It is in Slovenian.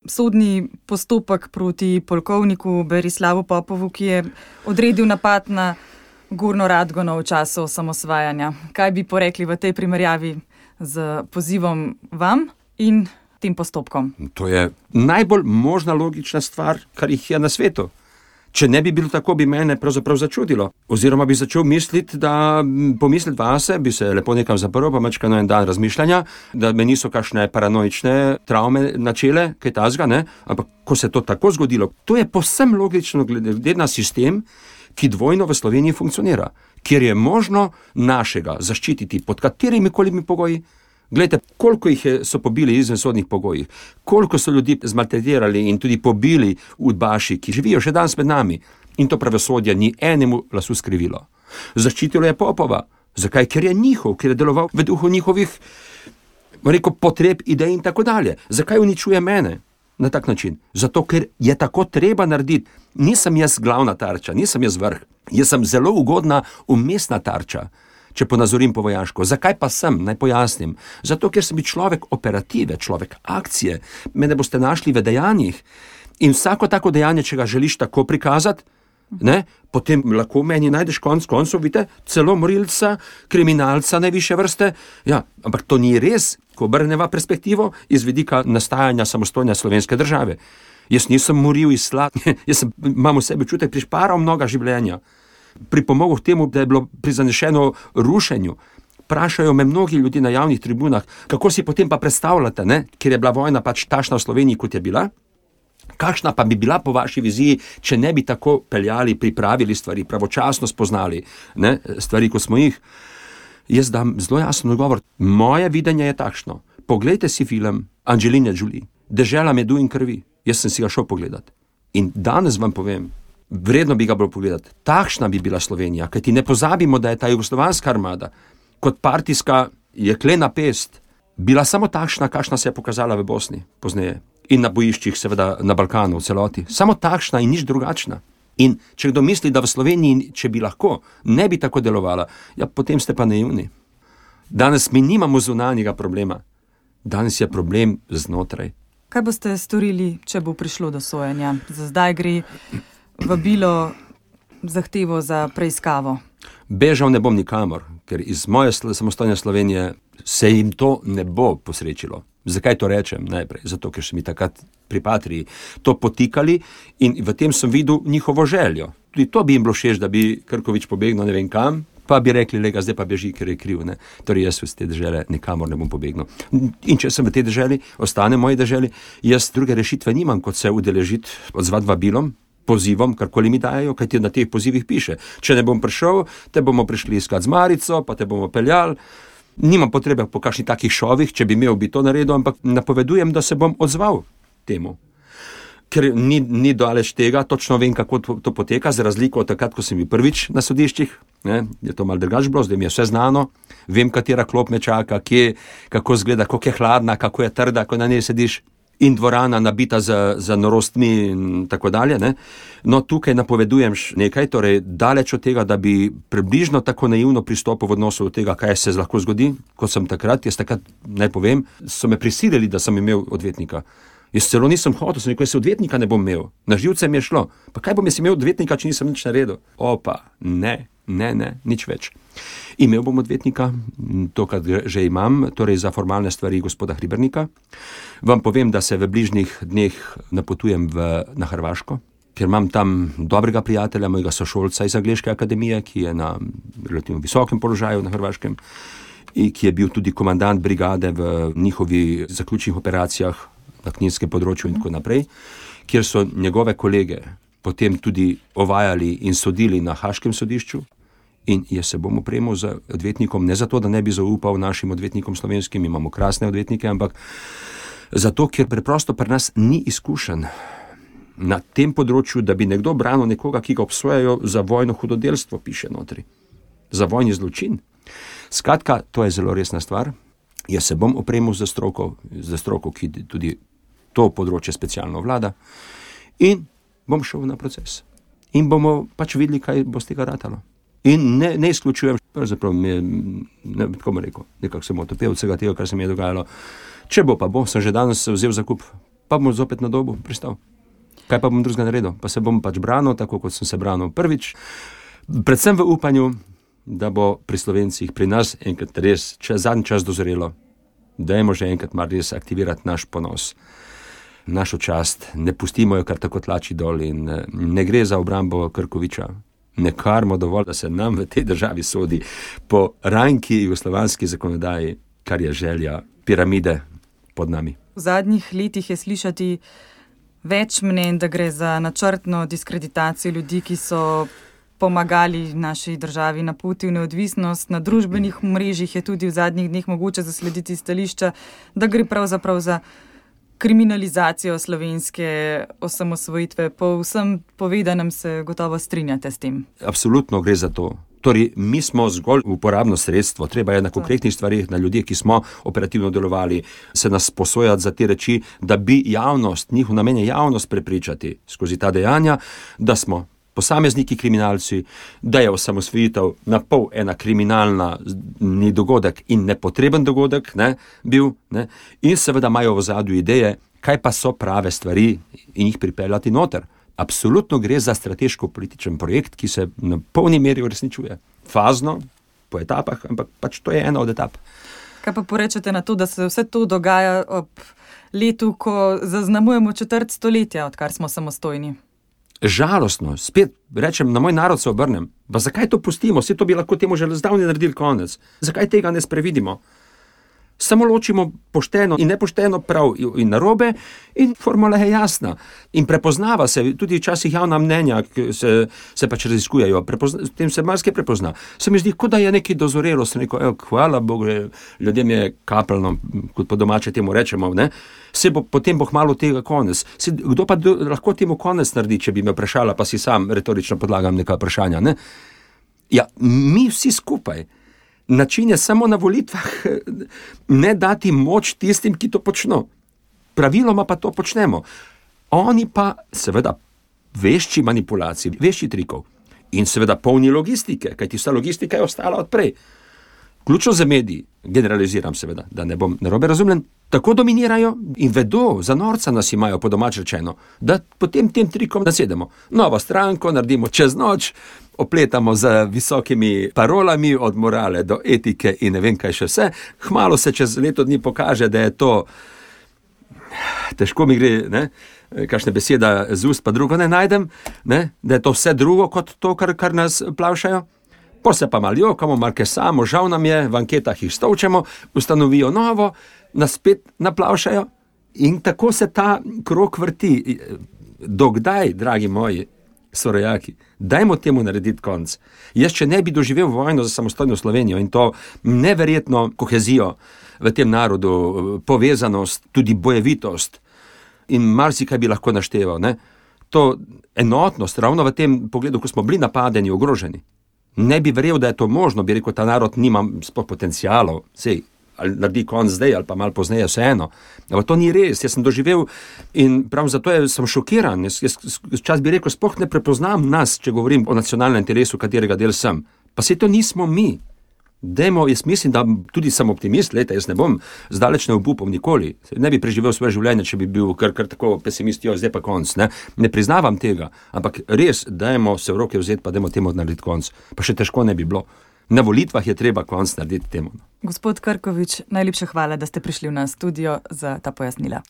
sodni postopek proti polkovniku Berislavu Popovu, ki je odredil napad na Gornjo Radgono v času osamosvajanja. Kaj bi porekli v tej primerjavi z pozivom vam in tem postopkom? To je najbolj možna logična stvar, kar jih je na svetu. Če ne bi bilo tako, bi mene pravzaprav začudilo. Oziroma bi začel pomisliti vase, bi se lepo nekam zaprl, pa mačka na en dan razmišljanja, da me niso kakšne paranoične travme načele, kaj tazga, ne? Ampak ko se to tako zgodilo, to je povsem logično glede na sistem, ki dvojno v Sloveniji funkcionira, kjer je možno našega zaščititi pod katerimi kolimi pogoji. Glejte, koliko so pobili izven sodnih pogojih, koliko so ljudi zmaltretirali in tudi pobili udbaši, ki živijo še danes med nami. In to pravosodje ni enemu glasu skrivilo. Zaščitilo je Popova. Zakaj? Ker je njihov, ker je deloval v duhu njihovih potreb, idej in tako dalje. Zakaj uničuje mene na tak način? Zato, ker je tako treba narediti. Nisem jaz glavna tarča, nisem jaz vrh. Jaz sem zelo ugodna umestna tarča, če ponazorim po vojaško. Zakaj pa sem? Naj pojasnim. Zato, ker sem človek operative, človek akcije. Mene boste našli v dejanjih. In vsako tako dejanje, če ga želiš tako prikazati, ne, potem lahko meni najdeš koncev, vidite, celo morilca, kriminalca najvišje vrste. Ja, ampak to ni res, ko obrneva perspektivo iz vidika nastajanja samostojne slovenske države. Jaz nisem moril iz imam v sebi čutek, prišparal mnoga življenja. Pripomogel k temu, da je bilo prizanešeno rušenju. Prašajo me mnogi ljudi na javnih tribunah, kako si potem pa predstavljate, ne? Ker je bila vojna pač takšna v Sloveniji, kot je bila. Kakšna pa bi bila po vaši viziji, če ne bi tako peljali, pripravili stvari, pravočasno spoznali, ne? Stvari, kot smo jih. Jaz dam zelo jasen odgovor. Moje videnje je takšno. Poglejte si film Angeline Jolie, Dežela medu in krvi. Jaz sem si ga šel pogledati. In danes vam povem, vredno bi ga bilo pogledati. Takšna bi bila Slovenija, kajti ne pozabimo, da je ta jugoslovanska armada kot partijska jeklena pest bila samo takšna, kakšna se je pokazala v Bosni pozneje in na bojiščih, seveda na Balkanu v celoti. Samo takšna in nič drugačna. In če kdo misli, da v Sloveniji, če bi lahko, ne bi tako delovala, ja, potem ste pa naivni. Danes mi nimamo zunanjega problema. Danes je problem znotraj. Kaj boste storili, če bo prišlo do sojenja? Za zdaj gre vabilo, zahtevo za preiskavo. Bežal ne bom nikamor, ker iz moje samostojne Slovenije se jim to ne bo posrečilo. Zakaj to rečem najprej? Zato, ker so mi takrat pri Patriji to potikali in v tem sem videl njihovo željo. Tudi to bi jim bilo všeč, da bi Krkovič pobegnil ne vem kam, pa bi rekli, lega, zdaj pa beži, ker je kriv. Ne? Torej jaz v te dežele nikamor ne bom pobegnil. In če sem v tej deželi, ostane v moji deželi, jaz druge rešitve nimam, kot se udeležiti, odzvati vabilom, pozivom, karkoli mi dajo, kaj ti na teh pozivih piše. Če ne bom prišel, te bomo prišli iskat z marico, pa te bomo peljali. Nimam potrebe po kakšnih takih šovih, če bi imel bi to naredil, ampak napovedujem, da se bom odzval temu. Ker ni daleč tega, točno vem, kako to poteka, za razliko od takrat, ko sem bil prvič na sodiščih, ne, je to malo drugače bilo, zdaj mi je vse znano, vem, katera klop me čaka, kje, kako izgleda, kako je hladna, kako je trda, ko na njej sediš, in dvorana nabita za norostmi in tako dalje. Ne. No, tukaj napovedujem nekaj, torej daleč od tega, da bi približno tako naivno pristopil v odnosu do tega, kaj se lahko zgodi, kot sem takrat, jaz takrat, naj povem, so me prisilili, da sem imel odvetnika. Jaz celo nisem hotel, sem rekel, jaz odvetnika ne bom imel. Na živce mi je šlo. Pa kaj bom jaz imel odvetnika, če nisem nič naredil? Opa, ne, nič več. Imel bom odvetnika, to, kar že imam, torej za formalne stvari gospoda Hribernika. Vam povem, da se v bližnjih dneh napotujem na Hrvaško, ker imam tam dobrega prijatelja, mojega sošolca iz Angleške akademije, ki je na relativno visokem položaju na Hrvaškem in ki je bil tudi komandant brigade v njihovi zaključnih operacijah na kninskem področju in tako naprej, kjer so njegove kolege potem tudi ovajali in sodili na Haškem sodišču. In jaz se bom opremil z odvetnikom, ne zato, da ne bi zaupal našim odvetnikom slovenskim, imamo krasne odvetnike, ampak zato, ker preprosto pri nas ni izkušen na tem področju, da bi nekdo branil nekoga, ki ga obsojajo za vojno hudodelstvo, piše notri. Za vojni zločin. Skratka, to je zelo resna stvar. Jaz se bom opremil za stroko, ki tudi to področje specialno vlada, in bom šel na proces. In bomo pač videli, kaj bo z tega ratalo. In ne izključujem, pravzaprav nekako sem otopel vsega tega, kar se mi je dogajalo. Če bo pa bo, sem že danes vzel zakup pa bom zopet na Dobu pristal. Kaj pa bom drugega naredil? Pa se bom pač branil, tako kot sem se branil prvič. Predvsem v upanju, da bo pri Slovencih, pri nas enkrat res zadnji čas dozorelo. Dajmo že enkrat mar res aktivirati naš ponos, našo čast. Ne pustimo jo kar tako tlači dol in ne gre za obrambo Krkoviča. Ne karmo dovolj, da se nam v tej državi sodi po ranki jugoslovanski zakonodaji, kar je želja piramide pod nami. V zadnjih letih je slišati več mnenj, da gre za načrtno diskreditacijo ljudi, ki so pomagali naši državi na poti v neodvisnost. Na družbenih mrežjih je tudi v zadnjih dneh mogoče zaslediti stališča, da gre pravzaprav za kriminalizacijo slovenske osamosvojitve. Po vsem povedanem se gotovo strinjate s tem. Absolutno gre za to. Torej, mi smo zgolj uporabno sredstvo, treba je na konkretnih stvarih, na ljudeh, ki smo operativno delovali, se nas posojati za te reči, da bi javnost, njihov namen je javnost prepričati skozi ta dejanja, da smo posamezniki kriminalci, da je osamosvojitev na pol ena kriminalna ni dogodek in nepotreben dogodek bil, in seveda imajo v ozadju ideje, kaj pa so prave stvari in jih pripeljati noter. Absolutno gre za strateško-političen projekt, ki se na polni meri uresničuje. Fazno, po etapah, ampak pač to je ena od etap. Kaj pa porečete na to, da se vse to dogaja ob letu, ko zaznamujemo 4. stoletja, odkar smo samostojni? Žalostno, spet rečem, na moj narod se obrnem. Pa zakaj to pustimo? Vse to bi lahko temu že zdavnaj naredili konec. Zakaj tega ne sprevidimo? Samo ločimo pošteno in nepošteno, prav in narobe, in formula je jasna. In prepoznava se, tudi včasih javna mnenja se pač raziskujejo, tem se marsikaj prepozna. Se mi zdi, kot da je nekaj dozorelo, sem rekel, hvala Bogu, ljudem je kapljno, kot po domače temu rečemo, potem bo hmalo tega konec. Kdo pa lahko temu konec naredi, če bi me vprašala, pa si sam retorično podlagam neka vprašanja, ne? Ja, mi vsi skupaj. Način je samo na volitvah ne dati moč tistim, ki to počno. Praviloma pa to počnemo. Oni pa seveda vešči manipulacij, vešči trikov in seveda polni logistike, kajti vsa logistika je ostala odprej. Ključno za mediji, generaliziram seveda, da ne bom narobe razumljen, tako dominirajo in vedo, za norca nas imajo po domač rečeno, da potem tem trikom nasedemo. Novo stranko naredimo čez noč, opletamo z visokimi parolami od morale do etike in ne vem kaj še vse. Hmalo se čez leto dni pokaže, da je to, težko mi gre, kakšne beseda z ust pa drugo ne najdem, da je to vse drugo kot to, kar nas plavšajo. Po se pa malo jokamo, malo kesamo, žal nam je, v anketah jih stolčemo, ustanovijo novo, nas spet naplavšajo in tako se ta krog vrti. Dokdaj, dragi moji sorojaki, dajmo temu narediti konc. Jaz, če ne bi doživel vojno za samostojno Slovenijo in to neverjetno kohezijo v tem narodu, povezanost, tudi bojevitost in marsikaj bi lahko našteval, to enotnost, ravno v tem pogledu, ko smo bili napadeni, ogroženi. Ne bi verjel, da je to možno, bi rekel, ta narod nima sploh potencialov, sej, ali naredi konc zdaj, ali pa malo pozneje, vseeno. Ampak to ni res, jaz sem doživel in prav zato sem šokiran. Jaz čas bi rekel, sploh ne prepoznam nas, če govorim o nacionalnem telesu, katerega del sem. Pa sej to nismo mi. Dajmo, jaz mislim, da tudi sem optimist, jaz ne bom zdaleč ne obupal nikoli. Ne bi preživel svoje življenje, če bi bil kar tako pesimist, zdaj pa konc. Ne priznavam tega, ampak res, dajmo se v roke vzeti, pa dajmo temu narediti konc. Pa še težko ne bi bilo. Na volitvah je treba konc narediti temu. Gospod Krkovič, najlepša hvala, da ste prišli v nas studio za ta pojasnila.